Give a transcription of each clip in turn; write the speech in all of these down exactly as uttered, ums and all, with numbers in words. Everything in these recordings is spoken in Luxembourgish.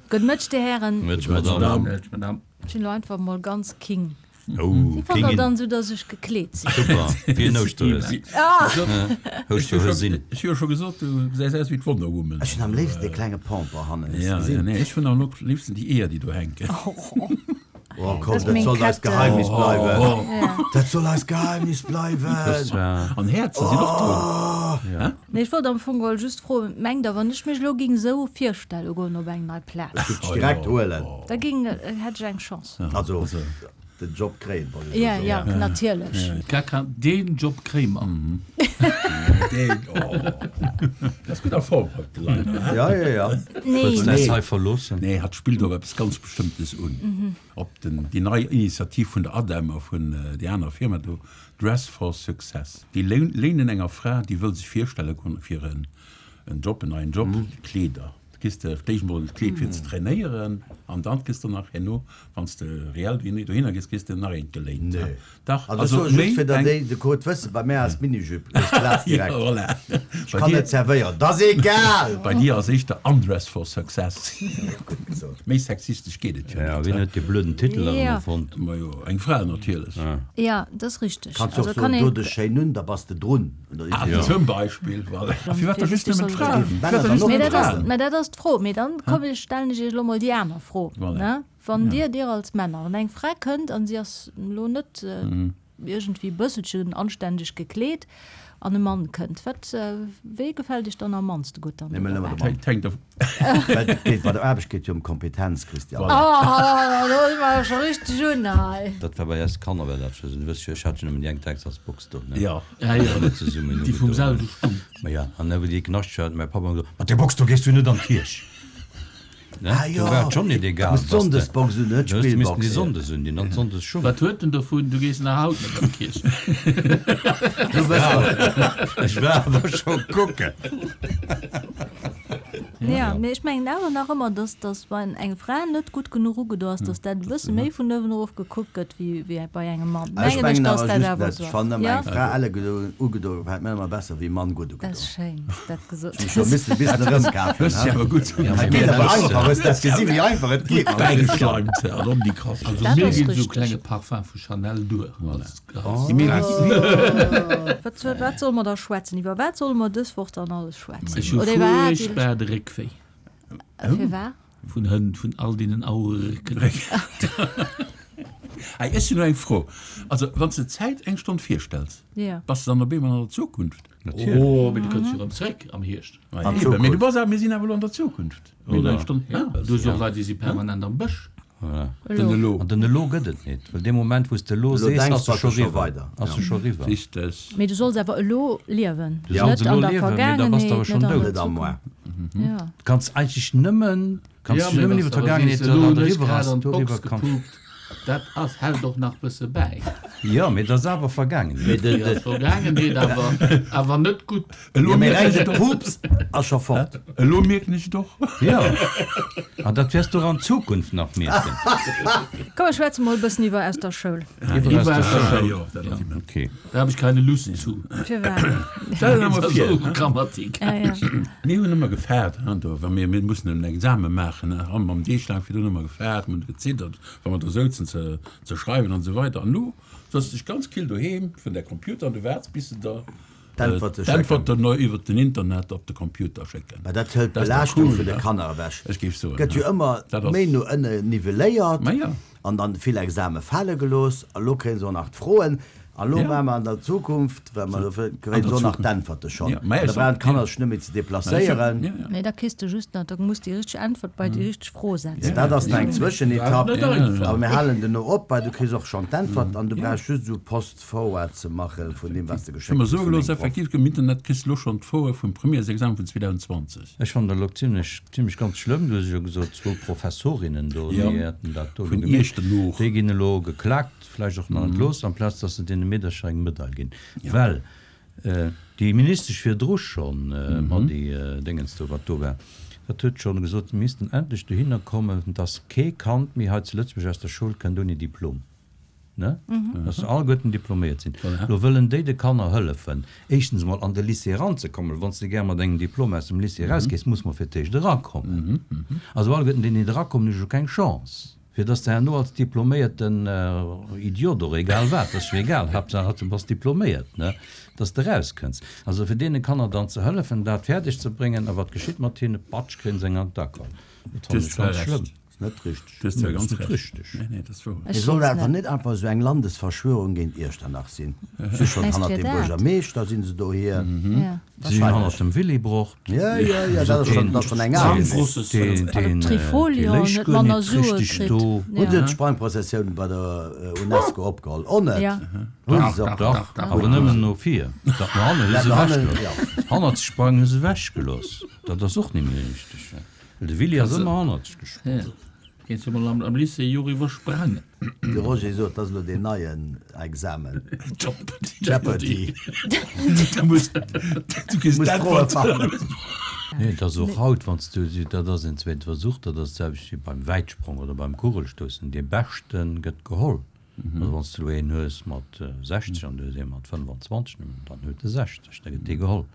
Gudde Mëtteg, Dir Hären. Mëtteg, Madame. Mëtteg, Madame. Ech sinn elo einfach mol ganz king. Oh, Wéi fannt der Kingin. dann esou, dass ech gekleet sinn? Super, wéi en Ouschterhues. Ah! Ouschterhuesin. Ech hu jo scho gesot, du gesäis aus wéi d'Wonder Woman. Ech hunn am léifsten dee klenge Pamper hannen, hues Ja, ja, gesinn? nee, ech hunn am léifsten déi Eeër, déi do hänken. Oh komm, Das dat meng soll eist Kette. Geheimnis bleiwen. Ja. Dat soll eist Geheimnis bleiwen. Das war. An Häerzer sinn och drun. Ja. Nee, ech wollt am Fong geholl just froen, mengt der, wann ech mech elo ging esou virstelle goen op eng nei Plaz, Ech géif dech direkt huelen. da ging, hätt ech eng Chance? Also, den Job kréien, wollt ech elo Ja, soen. ja, natierlech. Gar kein, den Job kréie mer. Deen, oh. Dat ass gutt a Form haut, de Leiner, hä? Ja, ja, ja. Nee. Wëlls de eis hei verloossen? Nee, hatt spillt op eppes ganz Bestëmmtes un. Op den, déi nei Initiativ vun der ADEM a vun déi aner Firma do, Dress for Success. Déi léinen enger Fra, déi wëll sech virstelle goen fir en, en Job, en neien Job, Kleeder. Da kriss de d'éischt mol d'Kleed fir ze trainéieren an dann kriss de nach herno, wann s de reell dohinner gees, kriss de nach eent geléint. Nee. Dach, Also ech soe just, fir datt déi de Code wëssen, bei mär ass d'Minijupe, ech platz direkt. Ja, voilà. Ech kann net zerwéieren, dat ass egal! Bei dir ass éischter Undress for Success. Gutt gesot. Méi sexistesch geet et jo Ja, net. wien huet dee blöden Titel erëm Ja. erfonnt? Majo, eng Fra natierlech. Ja, dat ass richteg. Kanns och Also soen, kann do een. dech schéin un, da bass de drun. Ah, Ja. zum Beispill, voilà. A firwat da just nëmmen d'Fraen? Männer Firwat da dann just och. Mee nëmmen dat ass, d'Fraen? mä dat ass d'Fro. Mee dann komm, ech stellen ech Iech elo mol déi aner Fro, Voilà. ne? Wann Dir, Dir als Männer, wann eng Fra kënnt an si ass elo net iergendwéi e bësselchen anständeg gekleet an e Mann kënnt, wat, wee gefält Iech dann am mannste gutt dann Nee, do mä nëmmen de dobäi? Mann. Hänkt derv. Well et geet bei der Aarbecht geet jo ëm Kompetenz, Christian. Voilà. Oh, do si mer jo scho richteg un hei. Dat war bei eis Kanner war dat scho sou. Du wëss jo, ech hat jo nëmmen déi eng Texasbox do, ne? Ja. Ja, ja. Alle zesummen Déi vum ugedoen. selwe Stumm. Ma ja, an da wou déi Knascht hat, mäi Papp ëmmer gesot, Mat där Box do gees du net an d'Kierch! Ne? Ah Do jo, war et schonn net egal, muss was de. d'Sonndesbox un, net Du hues missten d'Spillbox. déi Sonndes un, déi an d'Sonndesschung. Wat huet en dovun, du gees nach haut net an d'Kierch. Du wëss Ja, ech war awer scho kucken. Ja, mee ech mengen awer nach ëmmer, dass, dass wann eng Fra net gutt genuch ugedo ass, dass dat e bësse méi vun uewen erof gekuckt gëtt wéi, wéi bei engem Mann. Ech Mengen ech, mengen dass awer dat just awer net. esou Ech ass. fannen ëmmer Ja? eng Fra elle ugedo gefält mir ëmmer besser wéi e Mann gutt Dat ugedo. ass schéin, dass du dat gesot Ech hu scho hues. missen e bissen erëmkafen, Hues he? de awer gutt Ja, Et mee geet mir awer dat einfach, hues dat gesi wéi einfach et geet mam Christian. Bäigeschleimt an om déi Krass. Also Dat mir ass ginn esou richteg. klenge Parfum vu Chanel duer. Voilà. Als, als Mee wéi, Wat, wat solle mer da schwätzen? Iwwer wat solle mer dës Woch dann alles schwätzen? Ech hu Oder iwwerhaapt iwwer. furchtbar de Réckwéi. Firwat? Vun Hënn, vun all deenen Auererécken. Hey, ech hunn elo eng Fro. Also, wann s de d'Zäit eng Stonn virstells, Ja. bass de dann op eemol an der Zukunft? Natierlech. Oh, mee du kënns jo erëm zréck am Hierscht. Ma An eben, mee du Zukunft. bass awer, mir sinn awer elo an der Zukunft. Mir hunn eng Stonn. Ja, du hues och Leit, déi si permanent am Bësch. Voilà. Den Elo. elo. An den elo gëtt et net, well dee Moment, wou s de elo Elo sees, denks ass bass e du scho scho riwwer. weider. Ass Ja. e scho riwwer. Richteg. Mee du solls awer elo liewen, Du solls net an elo der liewen, mee da bass de awer Vergaangenheet, schonn net an dout. der Net am Moar. Zukunft. Ja. Du kanns eigentlech nëmmen, kanns Ja, dech mee nëmmen wann iwwer s de awer d'Vergaangenheet, sees, elo wat hunn ech eriwwer grad ass, an d'Box doriwwer kanns. gepupt, dat ass, hält och nach bësse bäi. Jo, mee dat ass awer Vergaangenheet. Mee de, Dat ass de, Vergaangenheet, awer, awer net gutt. Elo ja, mee mierken reng ech de et och. Pups ass scho fort. Elo mierken ech et och. Jo, an dat wäers du och an Zukunft nach mierken. Komm, mir schwätze mol e bëssen iwwer aus der Schoul. Iwwer Iwwer aus der aus der Schoul. Schoul. Jo, dat ass immens. Okay. Da hab ich keine Lust zu. Firwat? Stell dir mol Das vir, ist so Grammatik. Ja, ja. Mir hunn ëmmer gefaart, hein, do, wa mir, mir mussen en Examen maachen, hein, haben am Deeg laang virdrun ëmmer gefaart, mir hunn geziddert, wa mer do souzen ze, ze schreiwen an esou weider. An elo sëtz dech ganz kill doheem vun der Computer an du waarts, bis se der D'Äntwerte schécken. d'Äntwerten no iwwer den Internet op de Computer schécken. Mä dat hëlt Dat ass dach d'Belaaschtung cool, vun de ne? Kanner ewech. Ech géif soen, Gëtt jo ne? ëmmer Dat ass. méi no ënne nivelléiert Ma ja. an dann vill Exame fale gelooss. A lo kréie se och nach d'Froen. A lo Ja. maache mer an der Zukunft, well mer dofir An kréie der se och nach Zukunft. d'Äntwerte schonn. Ja, mä An da ech brauchen soen, d'Kanner ja. sech net méi ze Mä ech soen, deplacéieren. ja, ja. Nee, da kriss de just nach, da muss déi richteg Äntwert bei déi richteg Fro setzen. Dat ass nach eng Zwëschenetapp. Net einfach. Awer mir halen duerno op, well du kriss och schonn d'Äntwert an du brauchs just esou Post-forward ze maache vun deem, wat s de Ech geschéckt hu mer kriss soe vun gelooss, dengem Proff. effektiv, am Internet kriss de lo schonn d'Froe vum Premièresexamen vun zweedausend zwanzeg. Ech fannen dat elo zimlech, zimlech ganz schlëmm. Du hues jo gesot, zwou Professorinnen do, Ja. déi hätten dat do elo Vun gemeet. Iechternooch. Déi ginn elo geklakt, vläicht och nach entlooss, amplaz dass se deene Meedercher eng Medail ginn. Well déi Ministesch virdru schonn, ma déi Déngens do, wat do war, dat huet schonn gesot, mir missten endlech dohinner kommen, dass kee Kand méi hei zu Lëtzebuerg aus der Schoul kënnt ouni Diplom. Ne? Dass se alleguerten diploméiert sinn. Lo wëllen déi de Kanner hëllefen, éischtens emol an de Lycée eranzekommen. Wann s de gär mat engem Diplom aus dem Lycée erausgees, muss mer fir d'éischt erakommen. Also alleguerten déi net erakommen, hu jo keng Chance. Fir dass de herno als diploméierten Idiot oder egal wat, dat ass jo egal, Haaptsaach du bass diploméiert, ne, dass de erauskënns. Also fir deene Kanner dann ze hëllefen, dat fäerdeg ze bréngen, a wat geschitt mat hinne? Patsch, kréien se eng an d'Acker. Dat fannen ech ganz schlëmm. Ass net richteg. Du hues zwar ganz Ass net Recht. richteg. Nee, nee, dat ass wouer. Et soll awer net einfach esou eng Landesverschwörung géint Iechternach sinn. Si schonn Mengst hannert fir dem dat? Buergermeeschter sinn se dohier. Ja. Si sinn hannert dem Willibrord. Ja, ja, ja, dat ass schonn, dat ass schonn eng al Geschicht. Deen, Well deen, op dee Trifolion léich net guer manner net Sue richteg kritt. do. Hunn se Ja. d'Sprangprozessioun bei der Unesco opgeholl? Och net? Ja. Hunn se Dach, op. dach, awer nëmmen no vir. Dat no hannen hu Dat se no hannen, ewechgelooss. ja. Hannert sprangen hu se ewechgelooss. Dat ass och net méi richteg. Well de Willy ass ëmmer hannerzeg gesprongen. Ja. Kéints du mol am, am Lycée jo iwwersprangen. De Roger sot, dat ass elo deen neien Examen. Jeopardy. Jeopardy. Du muss, du kriss Muss Froe d'Äntwert. fannen. Nee, dat ass och haut, wann s du, dat ass en zweete Versuch, dat ass d'selwecht wéi beim Wäitsprong oder beim Kugelstoussen, dee Beschte gëtt geholl. Also wann s du elo een hues mat sechzeg an du hues ee mat fënnwanzwanzeg, dann huet de sechzeg, da gëtt dee geholl.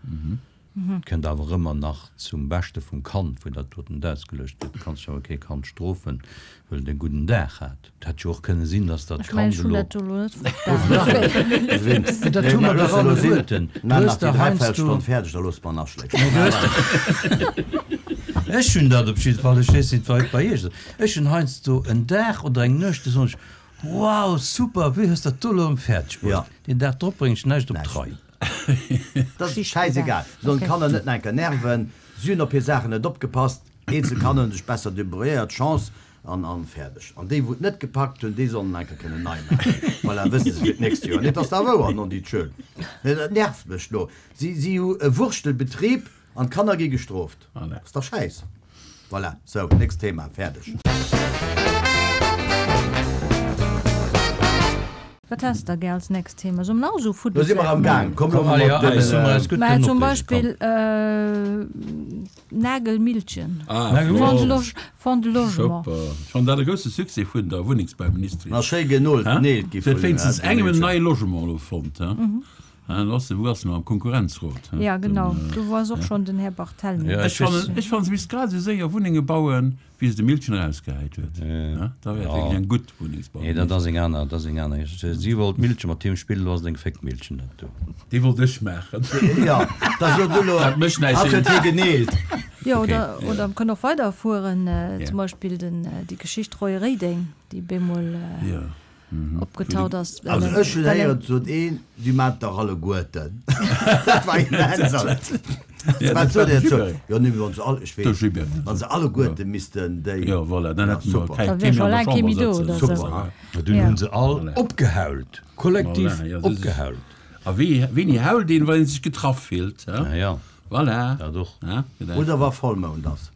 Et kënnt awer ëmmer nach zum Beschte vum Kand, wou dat doten ausgeluecht gëtt. Du kanns jo awer kee Kand strofen, well et e gudden Dag hat. Et hätt jo och kënne sinn, dass dat Ech mengen, Kand ech hunn elo. dat elo net verstanen. Mee dat hu mer dach alleguerten. Du Maan hues nach déi dach heiansdo. Dräiviertelstonn fäerdeg, da loosse mer en aschléifen. Ech hunn dat op jidde Fall, ech weess net, wei et bei iech ass, ech hunn heiansdo en Dag oder eng Nuecht, do soen ech, Wow, super, wéi hues dat do elo erëm fäerdeg Ja. bruecht? Deen Dag drop bréng ech näischt op Näischt. d'Rei. Dat ass schäisegal. Sollen d'Kanner net nach enker nerven. Si hunn op hir Saachen net opgepasst. Eenzel Kanner hunn sech besser debrouilléiert. Chance an an fäerdeg. An déi, wou et net gepackt hunn, déi sollen enker kënnen nei maachen. Voilà, wësse se fir d'nächst Joer. Nee, dat ass da wouer, non dit schön. Nee, dat nervt mech lo. Si, si hu e Wurstelbetrieb an d'Kanner gi gestrooft. Voilà. Ass dach Schäiss. Voilà, sou, nächst Thema, fäerdeg. Wat has de gär als nächst Thema? Soll mer nach esou Lo si mer am Gaang. Komm, lo Komm, allez, mat den, allez, soll mer eis gutt Mä kënnen zum opreegen, Beispill komm. äh, Nagelmilchen. Ah, Nagel- Fonds de flott. Loge, Fonds de Logement. Super. Ech fannen dat e grousse Succès vun der Wunnengsbauministerin. Na, schéi genolt, Hä? Neel gi Se huet vun, wéinstens äh, engem en Milchen. neie Logement elo fonnt, hä? Hä, lo ass se, wou ass se elo? Am Konkurrenzrot, hä? Ja, genau. Dann, äh, Do war och schonn den Här Barthelmy. Ja, Ech ech weess- fannen, ech fannen, se misst grad esou séier Wunnenge bauen, wéi se de Milchen erausgehäit huet. Hä? Da wär et Ja. wierklech eng gutt Nee, dat Wunnengsbauministerin. ass eng aner, dat ass eng aner Geschicht. Si wollt Milche mat him spillen, lo ass et eng Féckmilchen dat do. Déi wollt ech maachen. Ja, da sot du lo, Dat mécht näischt. hatt huet hie geneelt. Ja, Okay. oder, oder man kann och weiderfueren, äh, Ja. zum Beispill den, äh, déi Geschicht Roy Reding, déi bemol äh, Ja. opgetaut ass. well Also en- ech hunn well en- héieren, sot een, si maacht dach alleguerten. Dat war immens. Ja, Wat dat sot war der de zu? Gilbert. Jo, nee, wann se all, ech De weess, Gilbert. wann se alleguerte missten déi. Ja, voilà, dann Ja, hätten wir super. kei Da wär kee méi scho an der laang kee méi Chamber do, sëtzen. oder sou. Super. Ja, dunn Ja. hunn se all Voilà. opgehault. Kollektiv Voilà, ja, das ist- opgehault. A wéi, wéini hault een, wann een sech getraff fillt, hä? Ja, ja, Voilà. dat och. Ja, gedacht. Oder wa Vollmound ass.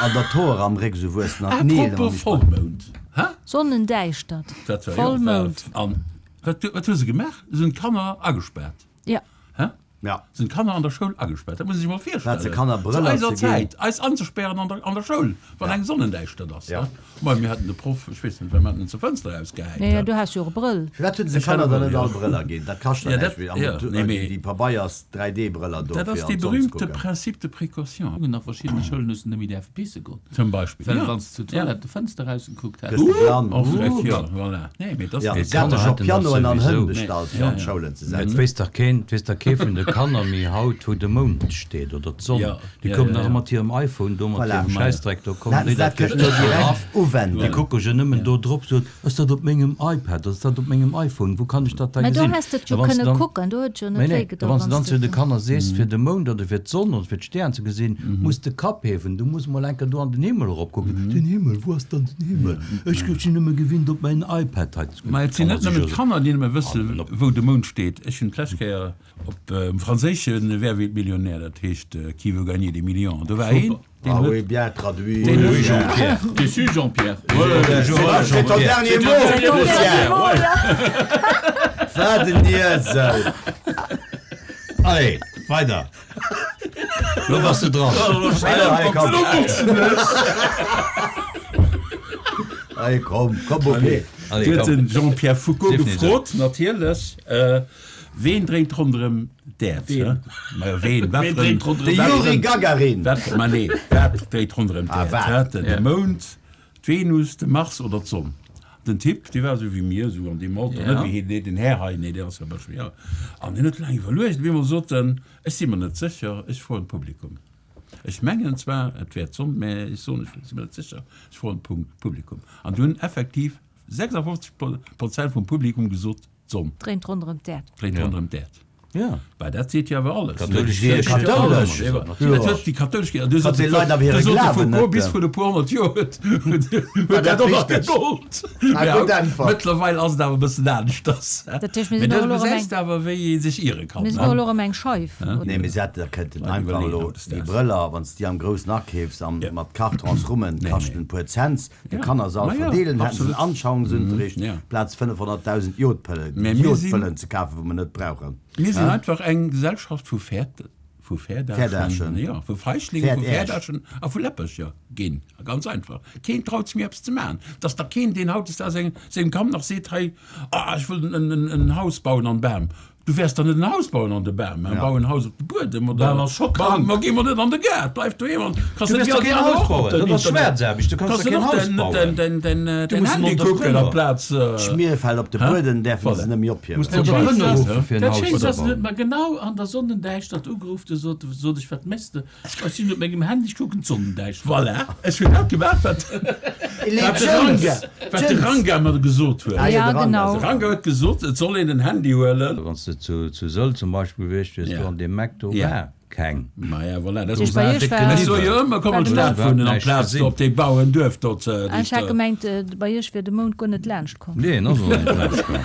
An der Tor am Réck sou wuessen an d'Neel an Apropos die Vollmound. Hä? Sonnendäischtert. Dat war, ja, Vollmound. war, an, wat, wat hu se gemaach? Se hunn d'Kanner agespaart. Ja. Hä? Ja. Sinn d'Kanner an der Schoul agespaart? Dat muss ee sech mol virstellen. Wat, se Kanner Zu Brëller eiser ze ginn? Zäit, eis anzespären an der, an der Schoul, wann eng Sonnendäischtert ass. Ja. Hä? Mei, mir haten de Proff, ech weess net, well mir haten en zur Fënster erausgehäit, Nee, hä? du has jo och e Brëll. Firwat hunn se Ech hat Kanner e dann Brëll, net ja. all Brëller ginn? Dat kascht Ja, dann dat, näischt méi. An ja, du, nee, mee déi Pabeiers drei D-Brëller do Dat fir ass an dee d'Sonn ze berühmte kucken. Principe de précaution. An a verschiddene Schoulen hues de net méi däerfe pisse goen. Zum Beispill. Well Ja. wann s de zur Toilette de Fënster erausgekuckt häss. Gëss de blann. Och frech, ja, voilà. Nee, mee dat Ja, ass se haten Kanner scho haten dat Pianoen an Hënn souwisou. bestallt, fir Ja, an ja. d'Schoulen ze Et setzen. weess dach keen, et weess dach kee vun de Kanner méi haut, wou de Mound steet oder d'Sonn. Ja, Déi ja, kommen ja, nach ja. mat hirem iPhone do, mat Voilà. hirem Schäissdreck do, kommen Hätten déi se dat dat kënnen elo direkt uwenden. Déi kucke jo nëmmen do drop, sot, ass dat op mengem iPad, ass dat op mengem iPhone, wou kann ech dat da Mä do gesinn? häss de et jo A wann s kënne dann kucken, do huet jo net Nee, nee, wéi gedoen, a wann s wann du dann s zu de de Kanner sees, fir de Mound oder fir d'Sonn oder fir d'Stären ze gesinn, muss de Kapp hiewen, du muss mol enker do an den Himmel eropkucken. Den Himmel, wou ass dann den Himmel? Ech sinn nëmme gewinnt, op mäin iPad hei ze kucken. Mä et sinn Kann net man nëmmen sech d'Kanner, déi net méi wëssen, An op. wou de Mound steet. Ech hunn d'lescht Kéier op um franséische Wer wird Millionär, dat heescht Qui veut gagner des millions, do war een, deen Ah huet oui, bien traduit. deen Oui, huet Jean-Pierre. Déçu, Jean-Pierre. C'est ton dernier mot, C'est ton dernier Lucien. mot, ja. Wat en Iesel. Allez, weider. Lo bass de dran. Allez, komm. Allez, komm, komm, okay. Allez, Du huet komm. den Jean-Pierre Foucault Sief nicht gefrot, natierlech, Ween dréint ronderëm d'Äerd? Ween? Majo, ween? Wat Ween fir en- dréint ronderëm De wat fir Juri en- Gagarin! Wat, ma nee, wat dréit ronderëm Ah, d'Äerd? wat? Hä? De Ja. Mound, d'Venus, de Mars oder d'Sonn? Den Typ, dee war esou wéi mir, esou an deem Alter, Ja. net wéi hien, nee, den Här hei, nee, dee ass jo e bëssche, ja. An hien huet laang iwwerluecht, op eemol sot en, Ech si mer net sécher, ech froen d'Publikum. Ech mengen zwar, et wär d'Sonn, mä ech soen, ech si mer net sécher, ech froen d'Publikum. An du hunn effektiv sechsafofzeg Prozent vum Publikum gesot, d'Sonn Dréint ronderëm d'Äerd. dréint ronderëm d'Äerd. Ja. Bah, dat seet jo awer alles. Kathoulesch Kierch Kierch. Kathoulesch. Dat huet déi kathoulesch Kierch. Du Hat déi Leit awer hire Glawen Foucault net. bis vun e puer honnert Joer huet huet War dat dat och nach richteg? gegollt. Ah, Mä gutt Äntwert. Mëttlerweil ass et awer e bëssen aneschters. Dat heescht, mir Mä sinn dat och elo erëm gesäis eng de awer, wéi ee sech iere kann, Mir sinn ne? och elo erëm eng Scheif, oder? Nee, mee se hätte da kënnten Leit einfach iwwerleeën elo hautdesdaags. déi Brëller, wann s de déi am Groussen akeefs an Ja. mat Kartons rummen, Nee, kaschten nee. e puer Cents, de Ja. Kanner se all Ma ja, verdeelen, hätten se en absolut. Anschauungsunterricht, Ja. plaz fënnefhonnertdausend Jodpëllen, Mä mir sinn- Jodpëllen ze kafen, wou mer net brauchen. Mir sinn einfach eng Gesellschaft vu Fäert, vu Fäerdaschen. Fäerdaschen, jo, vu Feiglingen, vu Fäerdäersch. Fäerdaschen a vu Läppercher ginn. Ganz einfach. Keen traut sech méi eppes ze maachen. Dass da keen, deen hautdesdaags sengem, sengem Kand nach seet, hei, ah, ech wëll en, en, en Haus bauen an Bam. Du wäers dann net en Haus bauen an de Bam, mä bau en Haus op de Buedem oder Bam ass scho bau, krank. ma gi mer net an de Gaart, bleif doheem an kanns Du net wäers wéi doch all déi keen aner Haus och op bauen, den dat ass Internet. Schwaarzaarbecht, du kanns Kanns doch du keen och Haus den, bauen. den, den, den, Du den muss en Handy kucken Entrepreneur. amplaz. D'Schmierfell op de Hä? Buedem däerfe Voilà. se net méi ophiewen. Muss den Entrepreneur ruffen fir en Dat Haus Schéinst ze ass, en huet bauen. mer genau an der Sonnendäischtert ugeruff, du sot, sot ech, wat méchs de? Ech sinn op mengem Handy, ech kucken d'Sonnendäischtert. Voilà, ech hunn dat gemaach, wat, Elé, wat de Jones! Ranga, wat de Jones! Ranga mer gesot huet. Ah, ja, Ja, de Ranga. genau. De Ranga huet gesot, et soll een en Handy huelen. Wann s de zu, zu Sëll zum Beispiel gewiescht wiers, Ja. do an deem Mac do Ja. war keng. Maja, voilà, dat Ech ass bei war iech déck war- geliwwert. Ech soe jo ëmmer, komm War an de d'Stad Mount- wunnen, Näischt amplaz gesinn. do op dee Bauernuerf do ze, Ah, ech hat gemengt, äh, bei iech wier de Mount guer net laanscht komm. Nee, en ass och net laanscht komm.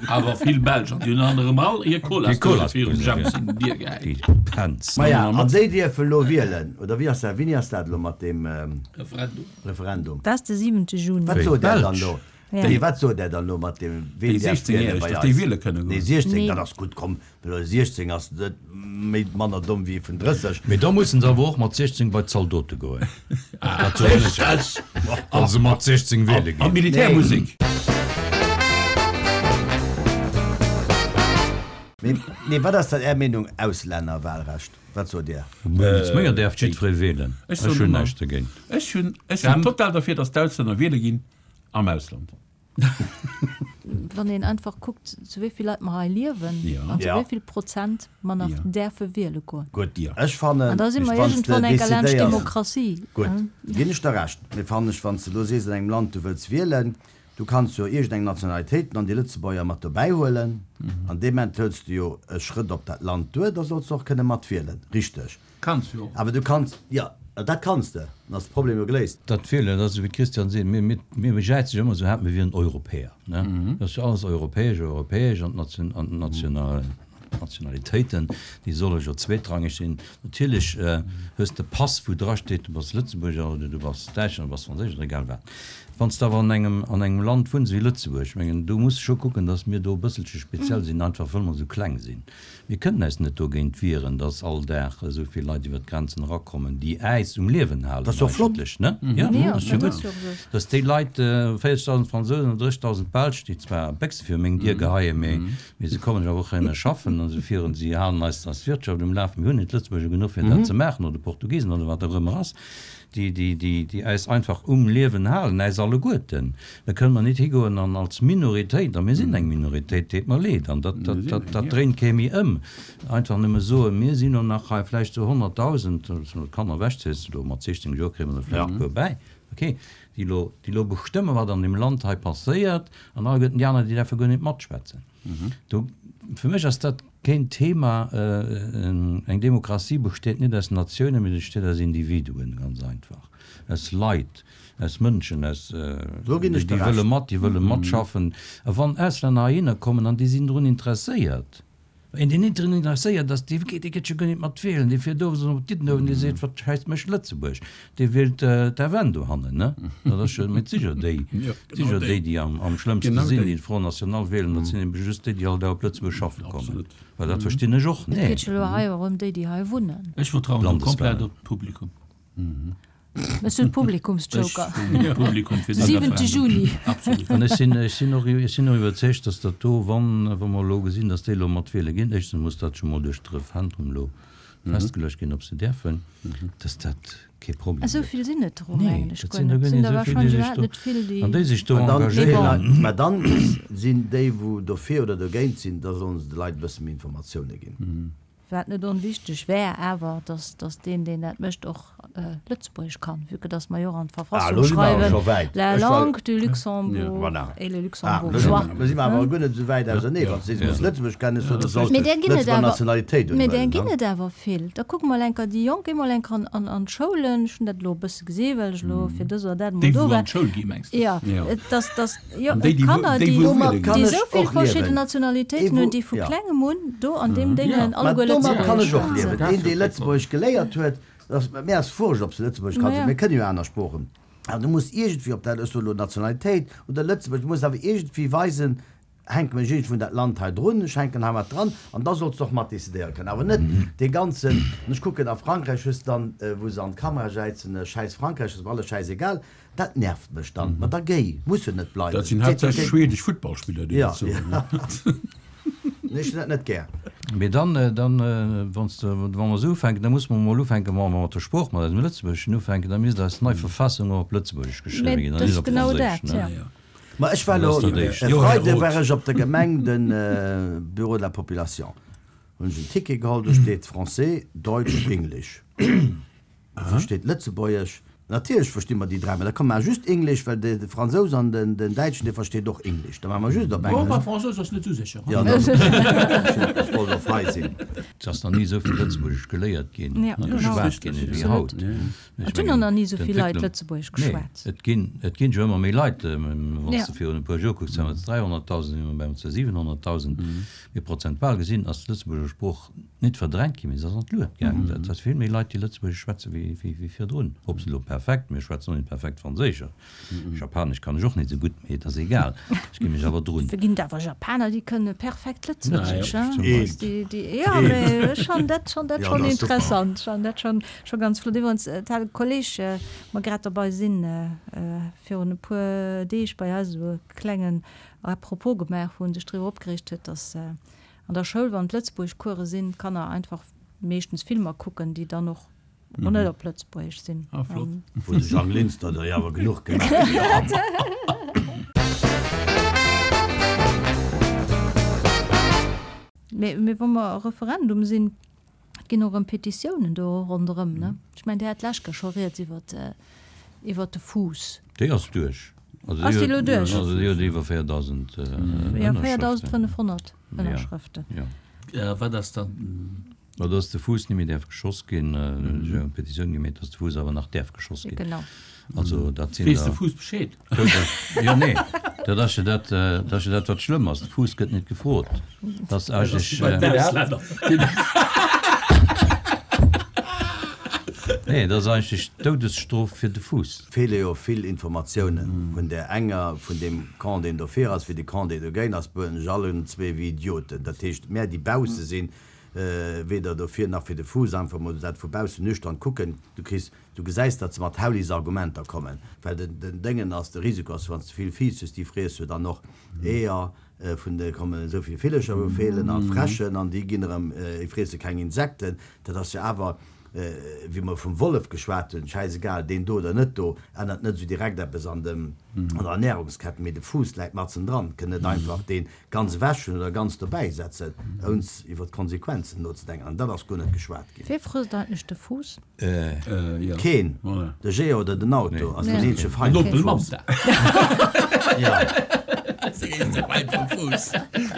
Awer vill Belsch an déi hunn anerem all hir Déi Colasdose Colasdose, virum ja. Jams in d'Dier gehäit. Déi Penz. Maja, an déi dierfe lo wielen, oder wéi ass dat, wéini ass dat elo mat deem ähm, Referendum. Referendum? Dat ass de siwente Juni. Wat Wéi? sot der dann Belsch? lo? Ja. Nee, wat sot der dann lo mat deem, ween Déi däerf sechzéngjähreg, wielen bei dass déi eis? wiele kënne Nee, goen. siechzéng, Nee. dat ass gutt, komm, well siechzéng ass net méi manner domm wéi vun drësseg. Mee da mussen se awer och mat siechzéng bei d'Zaldote goen. Dat soen ech Richtig! Wa se mat siechzéng wiele An ginn. Militärmusik. Nee, nee, wat ass dat Är Meenung, Auslännerwahlrecht? Wat sot Dir? Wéinst ménger däerf jiddweree wielen. Ech Ech soen hunn ëmmer- näischt dogéint. Ech hunn, ech sinn total derfir, dass d'Auslänner wiele ginn am Ausland. Wann een einfach kuckt, zu wéi vill Leit mer hei liewen Ja. an zu Ja. wéi vill Prozent mer nach Ja. däerfe wiele goen. Gutt, Ja. ech fannen, An da si mer wann s de iergendwann eng laanscht decidéiers- Demokratie. Gutt, hm? ginn ech der Recht. Mee fannen ech, wann s de lo sees, an engem Land, du wëlls wielen, du kanns jo iergendeng Nationalitéiten an déi Lëtzebuerger mat dobäi huelen. An deem Moment hëls du jo e Schrëtt op dat Land duer, da solls du och kënne mat wielen. Richteg. Kanns jo. Awer du kanns, ja, dat kanns de. Dann ass de Problem jo geléist. Dat Wielen, dat ass wéi d'Christian seet, mir, mir, mir bejäize jo ëmmer esou haart, mir wieren Europäer, ne? Dat ass jo alles europäesch, europäesch an d'Nation, an d'National, Nationalitéiten, déi solle jo zweetrangeg sinn. Natierlech, äh, hues de Pass, wou dra steet, du bass Lëtzebuerger oder du bass Däitschen oder du bass Franséisch oder egal wat. Wann s de awer an engem, an engem Land wunns wéi Lëtzebuerg, ech mengen, do muss scho kucken, dass mir do e bësselche speziell sinn, einfach wëll mer esou kleng sinn. Mir kënnen eis net dogéint wieren, dass all Dag esou vill Leit iwwer d'Grenzen erakommen, déi äis um Liewen halen Dat ass jo flott. eigentlech, ne? Ja, Ja, dat ass jo dat gutt. ass jo esou. Dass déi Leit, äh, véierzegdausend Fransousen an dréchdausend Belsch, déi zwar Béchse fir meng Dier geheien, mee, mee se kommen jo awer och heihinner schaffen an se führen, si halen eis eis Wirtschaft um Lafen. Mir hunn net Lëtzebuerger genuch fir dat ze maachen oder Portugiesen oder wat och ëmmer ass, déi, déi, déi, déi eis einfach um Liewen halen, eis alleguerten. Da kënne mer net higoen an als Minoritéit, a mir sinn eng Minoritéit, deet mer leed, an dat, dat, dat, dat dréint kee méi ëm. Einfach nëmme soen, mir sinn nur nach hei vläicht sou honnertdausend, wann du d'Kanner ewechziels, do mat siechzéng Joer kréie mer der vläicht e puer bäi. Okay, déi lo, déi lo bestëmmen, wat an deem Land hei passéiert, an alleguerten déi aner, déi däerfe guer net matschwätzen. Do, fir mech ass dat keen Thema, äh, eng Demokratie besteet net aus Natiounen, mee besteet aus Individuen, ganz einfach. Aus Leit, aus Mënschen, aus, äh, Do ginn ech déi der wëlle Recht. mat, déi wëlle matschaffen. A wann Auslänner heihinner kommen an déi sinn drun interesséiert, Een deen net drun interesséiert ass, dee geet, dee geet jo guer net mat wielen, dee fiert owes op Diddenuewen, dee seet, wat schäisst mech Lëtzebuerg? Dee wielt d'F N dohannen, ne? Dat ass jo mit sicher déi, Ja, genau sicher déi. déi, déi am, am schlëmmste Genau sinn, déi. déi den Front National wielen, dat sinn eben just déi, déi all Dag op Lëtzebuerg schaffe kommen. Absolut. Well dat verstinn ech och Et net. geet jo elo hei och ëm déi, déi hei wunnen. Ech vertrauen Landeswahlen. komplett op d'Publikum. Bass du de Publikumsjoker? Ech hunn de Publikum fir De de siwente Referendum. Juni. Absolut. An ech sinn, ech sinn och, ech sinn och iwwerzeegt, dass dat do, wann, wa mer elo gesinn, dass déi elo mat wiele ginn, éischtens muss dat scho mol duerch de Referendum elo festgeluecht ginn, ob se däerfen, dass dat kee Problem Esou gëtt. vill sinn et der och Nee, eigentlech dat guer sinn der net. guer Sinn net der esou vill, déi wahrscheinlech sech iwwerhaapt do, net vill, déi. an déi sech do Mä dann, engagéieren. mä dann sinn déi, wou dofir oder dogéint sinn, da sollen se de Leit e bësse méi Informatioune ginn. Wat net onwichteg wär awer, dass, dass deen, deen dat mécht, och Lëtzebuergesch kann, vue que dass mer jo och an Ah, d'Verfassung elo si mer awer schreiwen, scho wäit. la Ech war. langue du Luxembourg Voilà. et le Ah, elo si luxembourgeois. mer, elo si mer awer guer net esou wäit ausernee. Wann s de sees, du muss Lëtzebuergesch kennen, ech soen, du solls Mee där ginn et Lëtzebuerger awer, Nationalitéit mee där unhuelen, ginn ne? et awer vill. Da kucke mol enker déi Jonk, géi mol enker an, an, an d'Schoulen. Ech hunn dat elo e bësse gesi well ech elo fir dës oder dat emol Déi, do wou war. an d'Schoul gi, mengs de? Jo, Jo. et dass, dass, jo, An déi, déi wou, Kanner, déi déi, wou Domat wiele kann déi ginn. ech esou vill och verschidden liewen. Ee Nationalitéiten wou, hunn, déi vu ja. klengem un do an deem Ja. Déngen Mä alleguer domat kann Lëtzebuergesch ech och liewen. schwätzen. Een, dee Lëtzebuergesch geléiert huet, das, mir ass wurscht, ob se Lëtzebuergesch kann, Ma ja. mir kënnen jo aner Sproochen. Awer du muss iergendwéi, ob dat elo Nationalitéit oder Lëtzebuerg, du muss awer iergendwéi weisen, hänke mech iergendwou un dat Land hei drun, ech hänken hei mat dran, an da solls de och mat decidéiere kënnen. Awer net dee ganzen, an ech kucken a Frankräich hues de dann, wou se an d'Kamera jäizen, Schäiss Frankräich, ass mer alles schäisegal, dat nervt mech dann. Ma da géi, muss jo net bleiwen. Dat sinn Seet jo haaptsächlech géi. schwedesch Futtballspiller, déi Ja, dat soen. ja. Nee, ech hunn dat net gär. Mee dann, dann, wann s de, wa mer esou ufänken, da muss mer emol ufänken, wa mer mat der Sprooch, mat eisem Lëtzebuergeschen ufänken, da misst eis nei Verfassung och op Lëtzebuergesch geschriwwen Mee ginn an dat net ass op genau Franséisch, dat, ne? ja. Ja. Ma ech war Dat ass elo, dat Éischt. e Jo, Här Freide Roth. war ech op der Gemeng, den Bureau de la Population, hunn ech en Ticket geholl, do steet Français, Deutsch, English. Wou steet Lëtzebuergesch? Natierlech versti mer déi dräi, mä da komm mar just English, well de Fransous an den Däitschen, dee versteet och English. Da maache mer just op Oh, bei Englesch. Fransous ass net esou sécher. Jo, dann, ech wollt och frei sinn. Et ass nach ni esou vill Lëtzebuergesch geléiert ginn Ja, a genau. geschwat ginn ewéi haut. Ech Et hunn och mengen, nach ni esou vill Leit d'Entwécklung, Lëtzebuergesch nee, geschwat. et ginn, et ginn jo ëmmer méi Leit. Wann s Ja. de virun e puer Joer kucks, waren et dräihonnertdausend, si mer bei zu siwenhonnertdausend. Mee prozentual gesinn ass d'Lëtzebuerger Sprooch net verdrängt ginn, mee se ass an d'Luet gaangen. Et ass vill méi Leit, déi Lëtzebuergesch schwätze wéi, wéi, wéi virdrun. Ob se elo perfekt, mir schwätzen och net perfekt Franséisch. Japanesch kann ech och net esou gutt, mee et ass egal, ech gi mech awer drun. Et ginn awer Japaner, déi kënne perfekt Lëtzebuergesch, Lëtzebuergesch hein? zum Eent. Beispill. Déi, déi, jo, mee ech fannen dat schonn, dat Jo, schonn dat ass super. interessant, ech fannen dat schonn, scho ganz flott. Iwwerens, et hat e Kolleg, mer grad derbei sinn, virun e puer Deeg bei eis esou e klengen Apropos gemaach, wou en sech driwwer opgereegt huet, dass an der Schoul, wann d'Lëtzebuergeschcourse sinn, d'Kanner einfach meeschtens Filmer kucken, déi dann och och net op Lëtzebuergesch sinn. Ah, flott. Wou de Jang Linster der jo awer genuch gemaach huet. Mee, mee wa mer Referendum sinn, et ginn och erëm Petitiounen do ronderëm, ne? Ech mengen, Dir hat d'lescht Kéier scho rieds iwwert, iwwert de Fuuss. Déi ass duerch. Also Ass déi déi elo huet, duerch? also déi huet iwwer véierdausend Ja, Ënnerschrëften. véierdausendfënnefhonnert Ja, Ënnerschrëften. ja. Ja, wat ass dann? Ma dass de Fuuss net méi däerf geschoss ginn, hunn ech eng Petitioun gemeet, dass de Fuuss awer nach däerf geschoss ginn. Genau. Also dat sinn Weess de der. Fuuss Bescheed? Jo, nee, dat ass jo dat, dat ass jo dat, wat schlëmm ass. De Fuuss gëtt net gefrot. Dat ass eigentlech. Bei den Auslänner. Nee, dat ass eigentlech d'Doudesstrof fir de Fuuss. Feele jo vill Informatiounen vun där enger, vun deem Camp, deen dofir ass, wéi de Camp, deen dogéint ass, behuelen sech allen zwee wéi Idioten. Dat heescht, mär, déi bausse sinn, weder dofir nach fir de Fuuss, einfach mol dat vu baussen nüchtern kucken, du kriss, du gesäis, datt se mat Haulisargumenter kommen, well den, den Déngen ass, de Risiko ass, wann s de vill Fiiss hues, déi friess jo dann och Eeër vun de, kommen esou vill Villercher wou feelen an Fräschen an déi ginn erëm, déi friesse keng Insekten, dat ass jo awer, wéi mer vum Wollef geschwat hunn, schäisegal, deen do oder net do, ännert net esou direkt eppes an dem, an der Ernährungskette, mee de Fuuss läit matzen dran, kënn net einfach dee ganz ewech hunn oder ganz dobäi setzen, ouns iwwer d'Konsequenzen nozedenken. An dat ass guer net geschwat ginn. Wee frësst eigentlech de Fuuss? Keen. De Géant oder den Auto ass den eenzege Feind Den vum Opel Fuuss. Manta. Ja.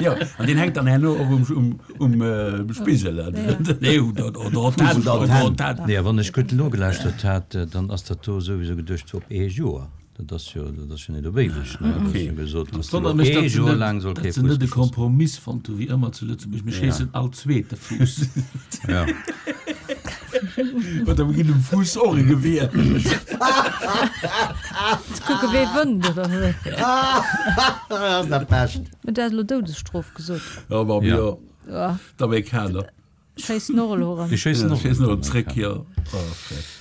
Jo, an deen hänkt dann herno och um, um, um äh, Spigel. Nee, oder, oder op Fuuss oder oder Antenn. Antenn. Nee, wann ech gutt nogelauschtert hat, dann ass dat do souwisou geduecht fir op ee Joer. Dat ass jo, dat ass jo net op éiweg, ne? Dat ass jo gesot, dass Wonnert do mech, ee datt se Joer net, laang soll datt kee se net Fuuss e geschoss ginn. Kompromiss fonnt hu wéi ëmmer zu Lëtzebuerg, mir schéissen all zweete Fuuss. Ja. Oder mir ginn dem Fuuss och e Gewier. Ze kucke wee wënnt, oder wéi? Dat ass dat Bescht. Mee du has elo Doudesstrof gesot. Ja, ma Ja. jo, Ja. d'Amerikaner. Schéissen och elo erëm. Déi schéissen Ja, och schéissen erëm, och zréck, d'Amerikaner. jo.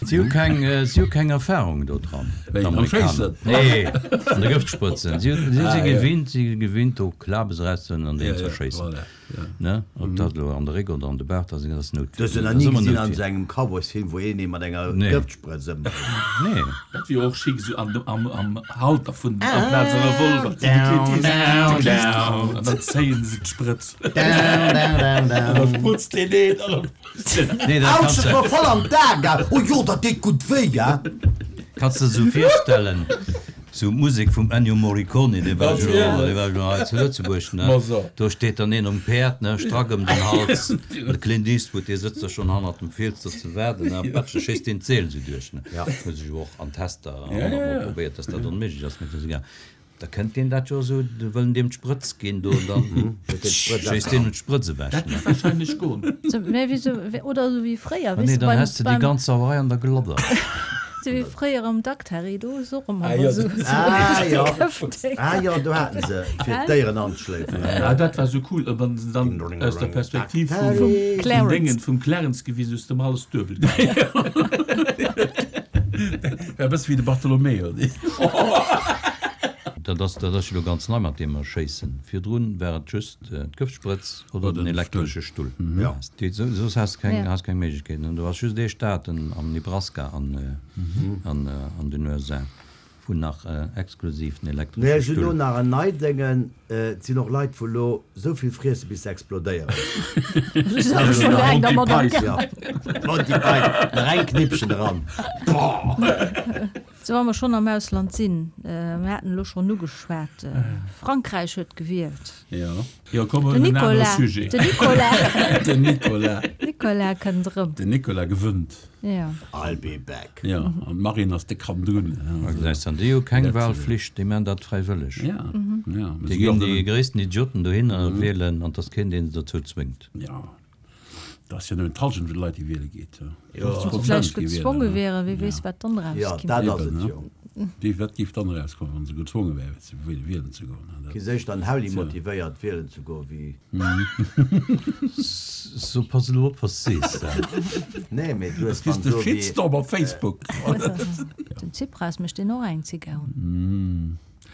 Si hu keng, si hu keng Erfahrung do dran, Wéi, am d'Amerikaner. Schéissen? Nee, an de Gëftsprëtzen. Si hu, si Ah, si ja. gewinnt, si gewinnt do Klabes erauszehölen an deen Ja, ze ja, schéissen. voilà, ja. Ne? Ob dat elo an de Réck oder an de Baart ass, dat ass Du hues jo Noutwier. nach Dat ni ass ëmmer gesinn an Noutwier. esou engem Cowboysfilm, wou een ee mat enger Nee. Gëftsprëtz ëmbréngt. Nee. Dat wier och chic, esou an, am, am Halter vun, amplaz e Revolver. Down, down, down. An dann zéien se d'Sprëtz. Down, down, down, An down. da sprutzt deen een an dann sprutzt deen aneren. Nee, dat Autsch, kanns dat de, war voll an d'A gaang. Oh jo, dat deet gutt wéi, ja. kanns de esou virstellen, sou d'Musek vum Ennio Morricone, dee war jo, Natierlech. dee war jo hei zu Lëtzebuerg, ne? Ma so. Do steet dann een um Päerd, ne, strack ëm den Hals, an de Clint Eastwood, dee sëtzt da schonn hannert dem Fiels do ze waarden, ne, a patsch, da schéisst deen d'Seel esou duerch, ne. Ja. Hu sech jo och an Tester Ja, ja, honnertmol ja. probéiert, dass dat onméiglech ass, mee dat ass egal. Da kënnt deen dat jo esou, do wëllen deem d'Sprëtz ginn do, an dann schéisst deen d'Sprëtz ewech, Dat ne. géif wahrscheinlech goen. So, mä wéi sou, oder esou wéi fréier, Ah weess nee, de, dann beim, häss de déi beim, ganz Sauerei an der Gladder. sou wéi fréier am Daktari, do ass och ëmmer Ah, jo, esou, dat- sou Ah jo, Gëftdéng. ah jo, do haten se fir d'Déieren anzeschléifen. Ah, dat war sou cool, wann se dann aus der Perspektiv vum, Vum vum Clarence. Déngen, vum Clarence gewisen, hues de ëmmer alles duebel gesinn. War e bësse wéi de Bartolomeo. Dat ass, dat ass jo elo ganz nei mat deem Erschéissen. Virdrun war et just d'Gëftsprëtz oder Oder den den elektresche Stull. Stull. Ja. Déi, so, soss has de keng, Ja. has keng Méiglechkeeten. An do ass just ee Staat, en, am Nebraska an, an, an den U S A, wou nach exklusiv den Nee, elektresche ech hunn elo Stull. nach en nei Déngen. Et sinn och Leit, wou elo esou vill friesse bis se explodéieren. Dat ass schon laang Monty dermat Python. Ja. Monty Python. Nach eng Knippchen eran. Boah. So, wa mer schonn am Ausland sinn, mir haten elo schonn ugeschwat, Frankräich huet gewielt. Ja. Jo, komm, Den huelen en anere Nicolas, Sujet. den Nicolas. Den Nicolas. Nicolas kënnt erëm. Den Nicolas gewënnt. Ja. I'll be back. Ja, an d'Marine ass déck hannendrun. Da gesäis de, déi hu keng Wahlflicht, déi man dat fräiwëlleg. Ja, ja. Déi ginn déi gréissten Idioten dohinner wielen an 't ass keen, deen se dozou zwéngt. Ja. Dat ass jo nëmmen d'Hallschent vun de Leit, déi wiele geet. Jo. fofzeg Prozent Vläicht gi wielen, gezwonge ne? wären, wie weess, Ja. wat dann Ja, erauskimmt. dat ass Eben, et ne? jo. Déi, wat géif dann erauskommen, wann se gezwonge wären, fir ze wielen ze goen, ne? Gi sech dann Hauli motivéiert, wielen ze goen, wéi. So, pass elo op, wat s sees. Nee, mee du hues Kriss dann de esou wéi. Shitstorm op Facebook. Den Tsipras mécht deen och eng Zigar.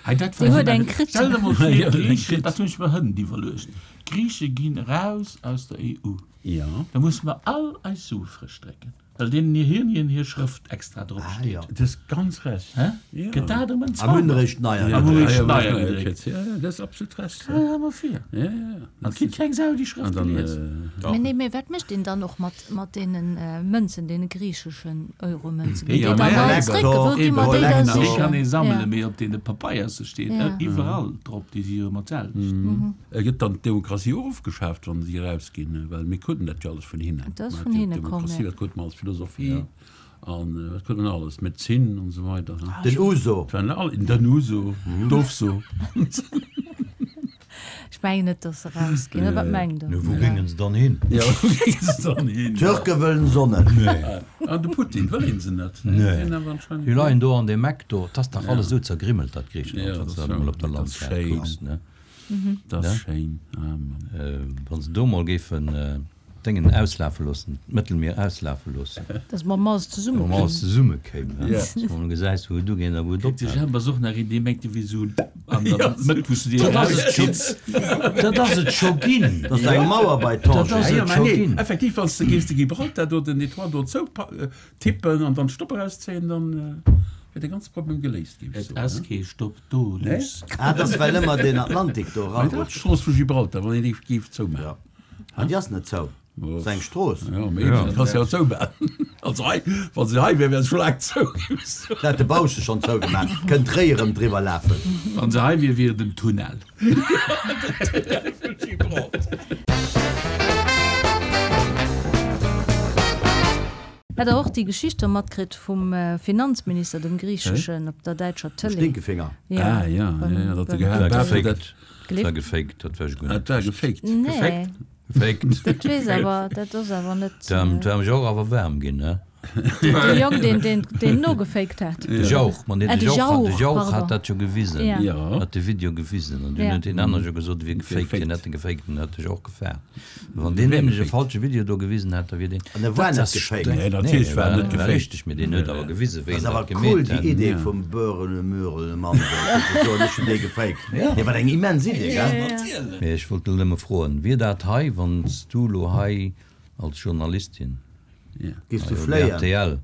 Hei, dat Déi war huet eng eng kritt. Stell der mol vir, Ja, eng d'Griechen, kritt. dat hunn ech mer hënt iwwerluecht. D'Grieche ginn eraus aus der E U. Ja. Da musse mer all eis Sue frësch drécken, well deenen hir Hirnien hir Schrëft extra drop Ah, steet. ja. Du hues ganz recht. Hä? Ja. Gëtt dat erëm en Am Zauber? Hunn eréischt neier Am gedréckt. hunn eréischt Ja, ja, neier neier gedréckt. gedréckt. Ja, ja, dat ass absolut recht. Stell der mol vir. Ja, ja, ja. An kritt keng Sau déi Schrëft An dann, gelies. äh, Mee nee, mee wat mécht een dann och mat, mat deenen äh, Mënzen, deene griicheschen Euromënzen? Ja, Ginn déi mä dann ja, all zréck? Wou gi mer déi da Kollektor. Déi kann sichen? ee sammelen, Ja. mee op deene Papeierse steet Ja. iwwerall drop, déi si jo ëmmer d'selwecht. Äh, gëtt dann d'Demokratie och ofgeschaaft, wann si erausginn, well mir kruten dat jo alles vun hinnen. Dat ass Mä vun hinne komm, Demokratie, ja. dat krute mer als Philosophie an äh, wat krute mer alles, Medezin an esou weider. Ne? Den Uso. Dat waren all, den Uso, d'Ofso. Ech mengen net, dass se rausginn. Wat mengt Der? Nu, wou géingen se dann hin? Ja, wou géingen se dann hin? D'Türke wëllen Sonne. Nee. An de Putin wëll een se net. Nee. Deen awer anscheinend Déi leien do an deem Eck do. 't ass dach alles esou zergrimmelt, dat Griichenland, Ja, wann s dat de dat ass emol op der dat ass Landkaart schéin. kucks, ne? Dat ass Ne? schéin. Ah, Mann. Wann se do mol géifen d'Déngen auslafe loossen, d'Mëttelmier auslafe loossen. Dass mer mol alles zesumme Dass mer alles kéimen. zesumme kéimen, ne? Ja. Dass mer mol gesäis, wou et ugeet a wou et Kritt de ophält. Jemp ass och nach een, dee mengt, dee wier esou an der Mëtt, wou s du dir Dat ass et scho, erauszitts. dat ass et scho ginn. Dat ass eng Mauer bei Dat Tanger. ass Ja, et mä scho nee, ginn. effektiv, wann s de géifs de Gibraltar do den Etoile do zou tippen an dann Stopp erauszéien, dann wier de ganze Problem geléist, géif ech Et soen, ass ne? kee Stopp do, Nee? Luss. Ah, dat ass well ëmmer den Atlantik do Mä dat ass erarutscht. d'Strooss vu Gibraltar, wann een déi géif zoumaachen. Ja. An déi ass net zou. Dat ass eng Strooss. Ja, mee Ja. dat kanns de jo zoumaachen. Also hei, wa se hei wär, wär se scho laang zou, géif ech soen. Dat hat de Bausch schonn zougemaach. Kënnt d'Réi erëm driwwer lafen. Wann se hei wier, wier et en Tunnel. Den Tunnel vu Gibraltar. Hat der och déi Geschicht do matkritt vum Finanzminister, dem griicheschen, op der däitscher Tëlee? Stinkefinger. Ja, Ah, ja, beim, ja, ja, dat beim de Dat gehat war dat gefaked. Dat war Gelift? gefaked, dat war ech guer Dat net. war gefaked. Nee. Gefaked? Gefaked. Dat weess awer, dat ass awer net. Dat war mech och awer waarm ginn, ne? De Jong, deen, deen, deen nogefaked hat. De Jauch, ma nee, Ah, de de Jauch, Jauch, de Jauch pardon. hat dat jo gewisen. Ja. Ja. Hat de Video gewisen. An dunn Ja. huet deen anere jo gesot, e wier gefaked. Gefaked. Hien hätt e gefaked an hat de Jauch gefaart. Wann deen nämlech e falsche Video do gewisen hätt, da wier deen. An e war Dat net ass gefaked. streng. Nee, natierlech war war net war gefaked. richteg, mee deen huet awer gewisen, wéi Dat en ass dat awer cool, gemeet déi hätt. Idee Ja. vum Böhrele Mürele Mann, do, fir ze soen, ech hunn dee gefaked. Nee, wat eng immens Idee, gell? Mee ech wollt elo nëmme froen, wier dat hei, wann s du elo hei als Journalistin Ja. Giffs du bei fléien? R T L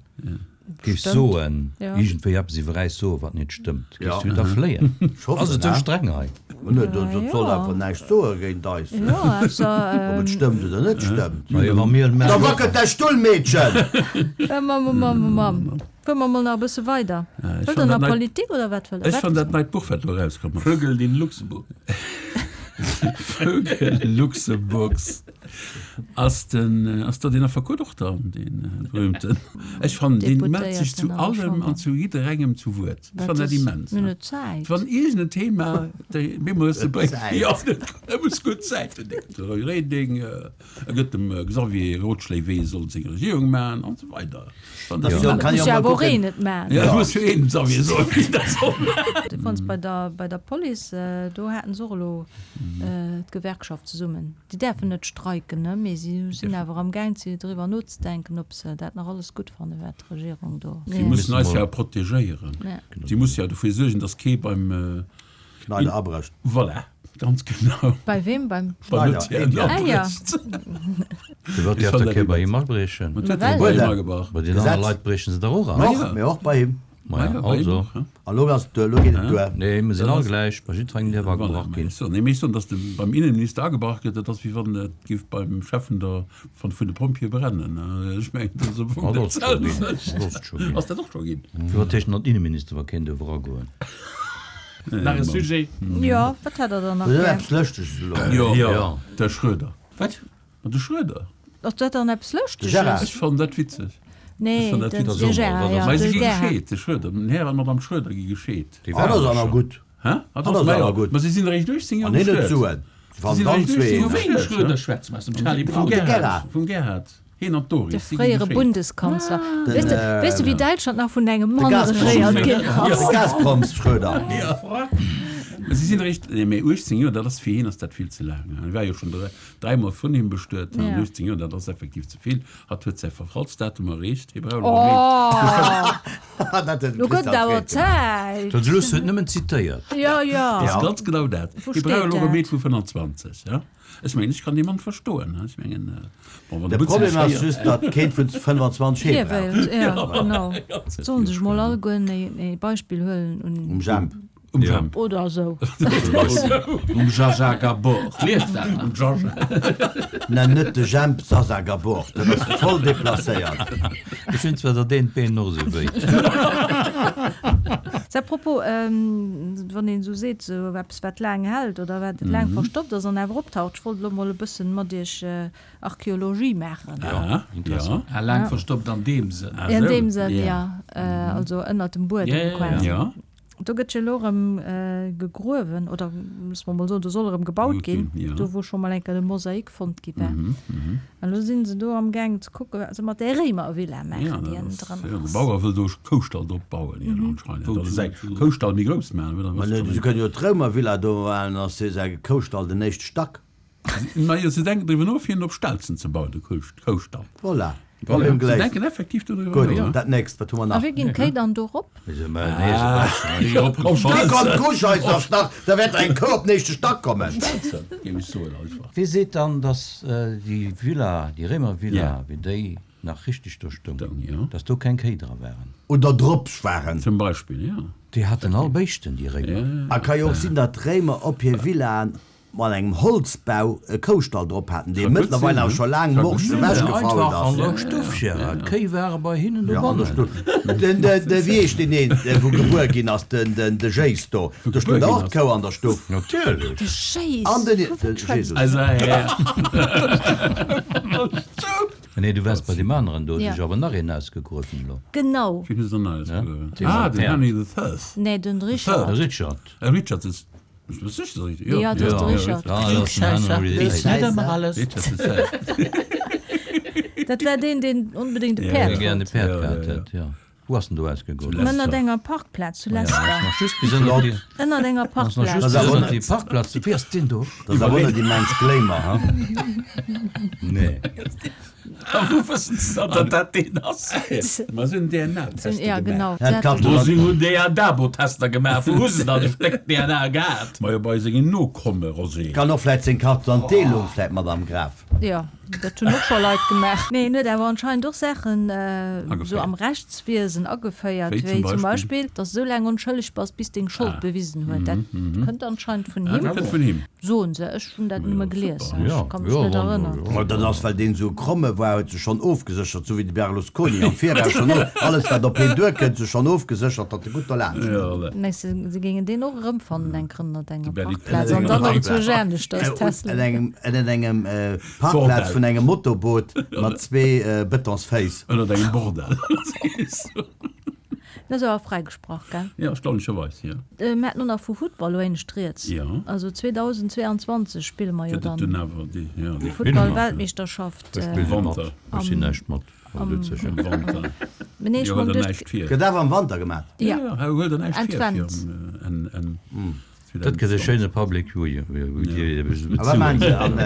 giffs Stëmmt. soen, Ja. iergendwéi eppes iwwer äis soen, wat net stëmmt, Ja. giffs du da fléien? Ech hoffen, Ass et sou ne? streng hei? Ma net, dat Ja. soll einfach näischt soe géint eis. Ja, also, Ob et ähm, stëmmt oder net stëmmt. Ma jo, wa mir Da wackelt däi Stull, Meedchen! äh, Mam, Mam, Mam. Fuere mer mol nach e bësse weider. Ja, ech Wëllt fand der dat nach neit- Politik oder wat wëllt der? Ech fand dat neit Buch, wat do erauskomm ass. Vögel in Luxemburg. Vögel Luxemburgs. Ass den, ass da den Affekot och da, den berühmten? Ech fannen, deen mellt sech zu Deputéierten an der allem Chamber. an zu jidderengem zu Wuert. Ech fannen dat immens. Mir hunn net Zäit. Wann iergend en Thema, de Memo hues de bréngt, Zäit. ja, e muss gutt Zäit hunn. De Roy Reding, e gëtt dem Xavier Rotschléi, wéi e soll seng Regierung maachen an esou weider. Ech fannen dat Ja. immens. Kann Muss jo jo mol awer och kucken. een et maachen. Ja, muss jo een dem Xavier soen, wéi dat soll maachen. Du fannst bei der, bei der Police, do haten se och elo d'Gewerkschaft zesummen. Déi däerfen net streiken, ne, mee si sinn awer am Gaang ze driwwer nozedenken, ob se dat nach alles gutt fannen, wat d'Regierung do. Si mussen eis ja protegéieren. Ja. Si musse ja dofir suergen, datt kee beim Schneider abrécht. Voilà, ganz genau. Bei wem? Beim Beim Schneider, Etienne Ah, ja. abrécht. Firwat Ich däerf fand da dat kee bei immens. him abriechen? Mat huet Well. e bei him agebrach. Bei den anere Gesetz. Leit briechen se der och an. Och, ja. mee och bei him. Ma ja, Ja, bei him also. och, ja. An lo ass et duer, lo geet et duer. Nee, mir sinn all gläich, bei jiddwerengem däerf agebrach Voilà, ginn. so, nee, mee ech soen, dass de beim Innenminister agebrach gëtt, dat ass wéi wann et géif beim Chef vun der, vun, vun de Pompjeeë brennen. Ech mengen, dat ass am Fong Ah, dat ass dat scho ginn. selwecht. Dat ass scho ginn. Ass dat och scho ginn? Firwat heescht en Innenminister, wa keen dierf eragoen? Nach e Sujet? Jo, wat hätt der dann nach Dat ass gär? eppes Lëschteges elo. Jo, Ja. de Schröder. Wat? Ma de Schröder. Ass dat dann eppes De Lëschteges? Gérard. Ech fannen dat witzeg. Nee, Ech fannen dat den witzeg. de Gérard, ja, Mä si de gi Gerhard. gescheet, de Schröder. Den Här an d'Madame Schröder gi gescheet. Déi Ah, dat waren ass awer scho. gutt. Hä? Ah, Ah, dat dat ass ass mei awer gutt. gutt. Ma si sinn eréischt uechtzéng Joer An hien huet bestuet. Suen. Si Wann sinn dann eréischt zwee. uechtzéng Vu Joer wem bestuet, Schröder hä? schwätze mer? Aus dem Charlie Vum Brown? De Gerhard. Gerhard. Vum Gerhard. Hien an d'Doris, De si gi fréiere gescheet. Bundeskanzler. Den, Weess de, äh, weess de, wéi Däitschland nach vun engem Mann Gazprom. regéiert ginn ass? De Gazproms-Schröder. Ja. Ma si sinn eréischt, nee, mee uechtzéng Joer, dat ass fir hien ass dat vill ze laang. Hie war jo schonn dräi, dräimol vun him bestuet. Ja. uechtzéng Joer, dat ass effektiv ze vill. Hatt huet säi Verfallsdatum erreecht. Hie brauch elo méi. Oh! Dat huet Lo gëtt Christian awer Freet gemaach. Zäit. Dat Luss huet nëmmen zitéiert. Ja, ja. Dat ass Ja. ganz genau dat. Wou Hie brauch steet elo e dat? Meed vu fënnanzwanzeg, ja. Ech mengen, ech kann dee Mann verstoen, ech mengen, bon, wann De de Butz Problem ass sech just, datt keen vun fënnanzwanzeg hee Hie brauch. wéilt, ja, genau. Sollen sech mol allegueren e Beispill huelen un. Um Jemp. Um Ja. Jemp. Oder esou. Um Zsa Zsa Gabor. Lieft dat nach? Um Zsa Zsa. Nenn net de Jemp Zsa Zsa Gabor, dat ass voll deplacéiert. Ech hunn zwar dat eent Been och esou wéi. À propos, wann een esou seet, esou eppes wat laang hält oder wat laang verstoppt ass an awer optaucht, ech wollt elo mol e bëssen mat iech Archäologie maachen. Ja, interessant. ja. Ah, laang verstoppt an deem Sënn. Ah, In esou. deem Sënn, Ja. ja. Also ënnert dem Buedem Ja, ja, ja. quasi. Ja. Do gëtt jo elo erëm gegruewen, oder musse mer mol soen, do soll erëm gebaut ginn, Ja. do wou scho mol eng Kéier de Mosaik fonnt gi war. Mhm, mhm. An elo sinn se do am Gaang ze kucken, wat se mat där Réimervilla maachen, Ja, déi dat ënnen ass, dran ja, de ass. Bauer wëll do Koustall drop bauen, jo, anscheinend. Wou Oder zum säi Beispill? Koustall méi grouss maachen, oder Ma was ne, zum se kënnen jo d'Réimervilla do maachen, dann ass säi Koustall den éischte Stack. Ma jo, se denken driwwer no, fir en op Stelzen ze bauen, de Koustall. Voilà. Voilà. Problem Se geléist. denken effektiv doriwwer Gutt, no, ja. dat nächst, wat hu mer A nach? wéi ginn d'Kéi dann do rop? Op Da kommt d'Kusch eis Stack, da wäert eng Kou op den éischte Stack kommen. Stelzen, géif ech soen einfach. Wie seet dann, dass déi Villa, déi Réimervilla, Ja. wéi déi nach richtig do stoung, Stoung, ja. dass do keng Kéi dra waren? Oder drops waren. Zum Beispill, ja. Déi haten all Béischten, déi Réimer. A ka jo och sinn, datt d'Réimer op hir Villaen mat engem Holzbau e Koustall drop haten, dee Ka gutt mëttlerweil sinn, awer ne? scho laang Ka gutt morsch sinn. ewechgefault Einfach ass. an der Stuff, Gérard. D'Kéi ware bei hinnen Ja, an der dobannen. Stuff. Den, de, de, wéi heescht deen een, dee wou gebuer ginn ass, den, den, de Jéiss do. Do stoung gebuer och ginn ass. d'Kou an der Stuff. Natierlech. De Jéiss! An den, Vu de wat schwätzt Jesus. Also, ja. Nee, du waars bei deem aneren do, Ja. huet sech awer nach een ausgegruewen elo. Genau. Wien huet dann ausgegruewen? Ja. Ah, den Henry the Third. Nee, den Richard. De Richard. Äh, Richard ist. Bist du sicher, dass ich- Ja, das ist der Richard. Ja, das ist ein Henry Wees the net Eighth. ëmmer alles. Richard the Third. Dat war deen, deen onbedéngt e Dee Päerd gären e wollt. Päerd gehat hätt, jo. Wou ass en do ausgegoen? Ënnert enger Parkplaz zu Ja, ass Leicester. nach just bis ënnert déi, Ënnert enger ass nach Parkplaz. just Das bis ass ënnert awer déi Parkplaz. Wéi ass deen do? Dat ass awer net immens Glamour, ha? Nee. A wou wëssen se dann, datt dat deen ass? Ma se hunn D N A-Tester Ja, gemaach. genau. Ja, Dat- d'Katze- Wo si hunn D N A-Tester gemaach, wou hu se dann e Stéck D N A gehat? Majo, bei sengen Nokomme, Rosé. Kann och vläit seng Carte d'identité loung vläit mat am Graf. Jo, dat hunn och scho Leit gemaach. Mee en huet awer anscheinend och Saachen esou am Rechtswiesen ageféiert, Wéi wéi zum zum Beispill? Beispill, dass esou laang onschëlleg bass, bis deng Schold bewisen huet. Dat kënnt anscheinend vun Ah, him. dat kënnt vun him. Soen se. Ech hunn dat nëmme gelies, Ja, ech ka mech ja, net wann, erënneren. ja. Ma dat ass, well deen esou kromme war, huet sech schonn ofgeséchert, sou wéi de Berlusconi am Viraus schonn of, alles wat op hien duerkënnt, sech schonn ofgeséchert, datt e gutt derlaanscht kënnt. Ja, voilà. Mengs de, se géingen deen och erëmfannen eng Kéier ënnert enger De Berli- Parkplaz an dann nach zu Jännescht als Äh, Tesla? An engem, ënnert engem äh, Parkplaz Bordell. vun engem Motorboot mat zwee äh, Betonsféiss. Ënnert engem Bordell. Dat ass awer fräigesprach, gell? Ja, erstaunlecherweis, ja. Äh, Mir haten och nach vu Futtball elo éinescht rieds. Ja. Also zweedausendzweeanzwanzeg spille mer jo Gëtt et dann dunn awer déi, ja, déi d'Futtball-Weltmeeschterschaft. Ech Äh, spille mat. Wanter. Ech sinn näischt mat. Am Am Wanter. Mee nee, ech Jo, huel meng der duerch näischt vir. Gëtt awer am Wanter gemaat. Ja. Ja, ja, huel der näischt vir Advent. fir am, äh, en, en, Dat gëtt e schéine Public Viewing. A wat maachen se an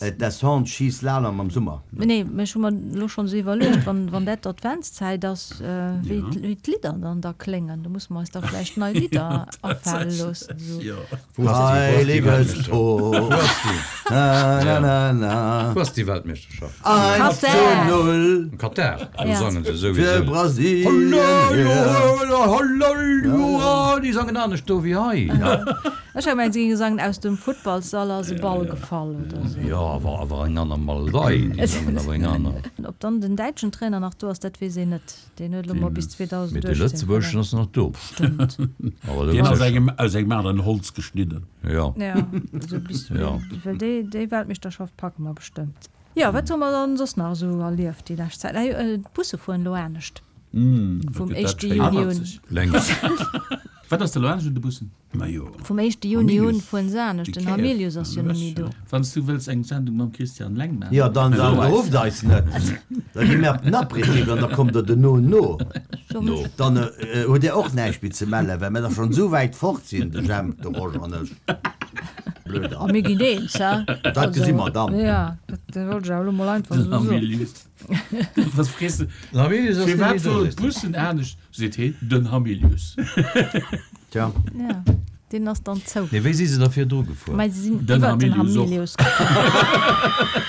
äh, Descente, Ski, Slalom am Summer? Nee, mee ech hu mer elo schonn esou iwwerluecht, wann, wann dat d'Adventszäit ass, äh, wéi Ja. wéi d'Lidder dann da kléngen. Do musse mer eis da vläicht nei Lidder afale loossen. Esou. Ja. Heiliges Tor. Na, na, na, na. Wou ass déi Weltmeeschterschaft? Eins zu Katar. null Am Katar. Do Ja. sangen se fir souwisou. Brasilien. Hallo, déi sangen anescht do wéi hei. Ech hat gemengt, se géinge sangen, Aus dem Futtballsall ass e Ball gefall oder esou. Jo, awer awer eng aner Malerei. Déi sangen awer eng aner. Ob dann den däitschen Trainer nach do ass, dat weess een net. Deen huet elo mol bis Mee de zweedausendachtzehn lëtzebuergeschen ass nach do. Stëmmt. Awer Deen ass dat engem, aus engem aneren Holz geschnidden. Ja. Ja, also bis, Ja. well déi, déi Weltmeeschterschaft packe mer bestëmmt. Jo, wat hu mer dann soss nach esou erlieft déi lescht Zäit? Ah jo, d'Busse fueren elo anescht. Mm, Vum dat gëtt dat éischte schéin. Juni un. Anertzeg. Lenks. Wat ass da elo anescht un de Bussen? Majo. Vum éischte Juni un Hamilius. fueren se anescht. Déi Den Kéier. Hamilius ass jo net méi do. Wann s du wëlls eng Sendung mam Christian Leng maachen. Jo, dann, dann rufft eis net. Da gi mir op den Aperitif an da kommt der dono no. So No. mech. Dann äh, hutt Dir och näischt méi ze mellen, well mir da schonn esou wäit fort sinn, de Jemp, de Roger an ech. Blöder. A mir ginn eens, hä? Dat gesi mer dann. Ja, dat wollt ech awer elo mol einfach Den esou soen. Hamilius. Was frees de? Den Hamilius ass net Firwat méi do, fueren sees du? d'Bussen anescht? Seet heen, den Hamilius. Tja. Ja, deen ass dann zou. Nee, wéi si se da virdru gefuer? Mä se sinn Den iwwer den Hamilius och. Hamilius gefuer.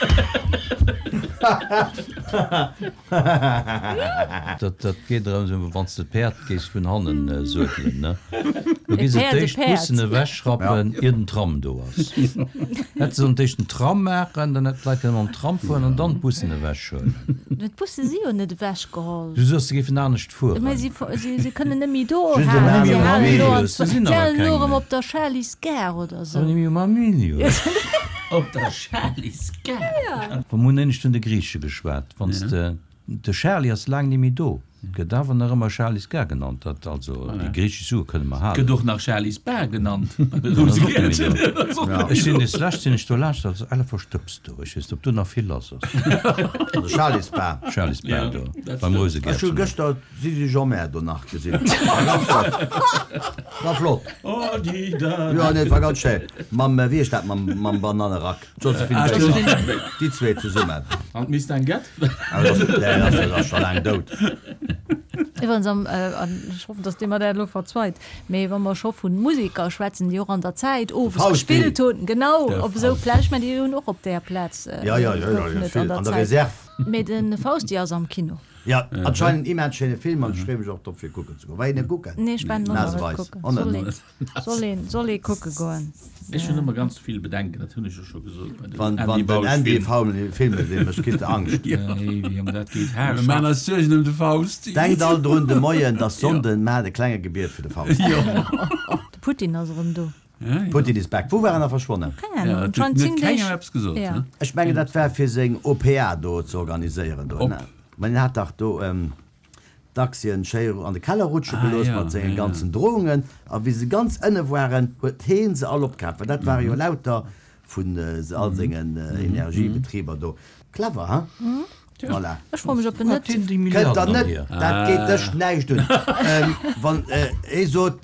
Dat, dat geet erëm esou, wann s de d'Päerd géifs vun hannen äh, suedelen, ne? Do gi E se Päerd, e d'éischt Päerd. d'Bussen ewechschrappen, ier den Tram do ass. Hätt se sollen d'éischt den Tram maachen, dann hätt d'Leit kënne mam Tram fueren an dann d'Bussen ewechhuelen. Mä d'Busse si jo net ewechgeholl. Du soss, se géifen anescht fueren. Mä si, si, si kënnen net méi do Just den halen. Si Hamilius. halen elo an Se sinn si awer halen elo keng erëm méi. op der Charlys Gare oder Awer sou. net méi um Hamilius. Op der Charlys Gare. Wa mir hunn éinescht vun de Griiche geschwat. Wann s de, de Charly ass laang net méi do. Gëtt awer nach ëmmer Charlys Gare genannt. Dat also, déi griichesch Sue kënne mer Gëtt halen. och nach Charlys Bar genannt. Ech sinn des lescht sinn ech do laanscht, dat ass elle verstëbst do. Ech weess net, ob do nach vill lass ass. De Charlys Bar. Charlys Bar Ja, do, dat beim stimmt. Ech hu Rousegäertchen. gëschter d'Zizi Jeanmaire do nach gesinn. War ganz flott. War flott. Oh, die da. Jo, nee, war ganz schéin. Mam, wéi heescht dat, mam, mam Banannerack? D'Josephine Ah, Baker. Déi zwee zesummen. An d'Mistinguett? Awer dat ass, nee, dat ass, dat ass scho laang dout. Iwwerens am, äh, an ech hoffen, dass Dir mer dat elo verzweit, mee wa mer scho vun Musiker schwätzen, déi och an der Zäit owes Fausti. gespillt hunn, genau, Der op esou Fausti. Plätz, ech mengen, déi hunn och op där Plaz, äh, Ja, ja, ja, ja, goufen ja, et an vill. der An der Zäit. Reserve. Mee de Fausti ass am Kino. Ja, anscheinend immens schéine Film an ech freeë mech och drop fir kucken ze goen. War een e kucken? Nee, ech war en och nach net Naseweis. kucken. Och net. Soll een, soll een, soll ee kucke goen. Ech hunn ëmmer ganz vill Bedenken, dat hunn ech jo scho gesot bei den Wann, Andy wann den Bausch Andy Filmen. Faul Filme sinn, mech kritt de Angscht. Nee, wéi ëm dat geet, Mir haarscharf. maachen eis Suergen ëm de Fausti. Denkt all drun de Moien, dass Sonnden, maacht e klenge Gebiet fir de Fausti. De Putin ass erëm do. Ja, ja. Putin is back. Wou war en da verschwonnen? Keng Ahnung, Ja, dat huet anscheinend net zéng kengem Deeg. eppes gesot, Ja. ne? Ech mengen, dat war fir seng O P A do ze organiséieren do, Op. ne? Mä en hat dach do d'Aktien schéi an de Keller rutsche Ah, gelooss ja, mat sengen ja, ja. ganzen Drohungen. A wéi se ganz ënne waren, huet heen se all opkaaft. Well dat ware jo lauter vun all sengen Energiebetriber do. Clever, hein? Voilà. Ech froe mech, ob en net. Kënnt der net, dat geet dech näischt un. Wann ee sot,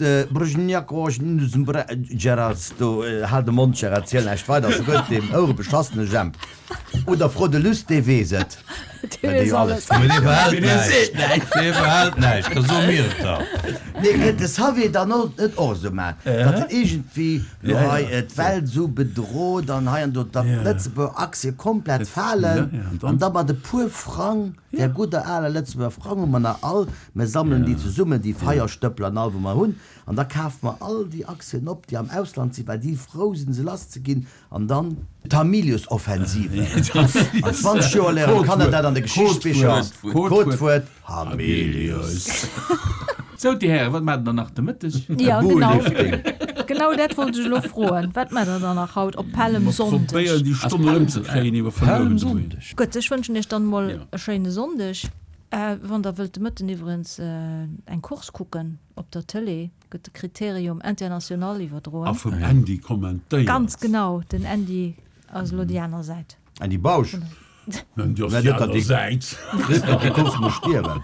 Gerard, do hal de Mond, Gerard, ziel näischt weider, sou gutt, deem ouerebeschassene Jemp. Oder fro de Luss, dee weess et. Dee weess alles. Mee dee behält näischt. Dee behält näischt, da soe mir et der. Nee, kënnt de Xavier dann och net och esou maachen, datt en iergendwéi lo hei d'Welt esou bedrot an hei an do, datt d'Lëtzebuerger Aktie komplett falen an da mat e puer Frang, där gudder aler Lëtzebuerger Frang hu mer nach all, mer sammelen déi zesummen, déi Feierstëppel an all wou mer hunn, an da kafe mer all déi Aktien op, déi am Ausland sinn, well déi frou sinn se lass ze ginn, an dann d'Hamilius-Offensive. An zwanzeg Joer léieren d'Kanner dat an de Geschichtsbicher. Codewuert, Hamilius. Sou, Dir Hären, wat maacht Der nach de Mëtteg? Ja, genau. Bullifting. Genau dat wollt ech elo froen. Wat maacht Der dann nach haut op Pällemsonndeg? Probéieren déi Stonn erëmzekréien, déi mer verluer hunn de Moien. Gutt, ech wënschen Iech dann emol e schéine Sonndeg. Wann Der wëllt de Mëtten iwwerens eng Course kucken op der Tëlee, gëtt de Critérium International iwwerdroen. A vum Andy kommentéiert. Ganz genau, den Andy ass elo déi aner Säit. Andy Bausch? Den Andy ass déi aner Säit. Net, datt déi Course muss stierwen.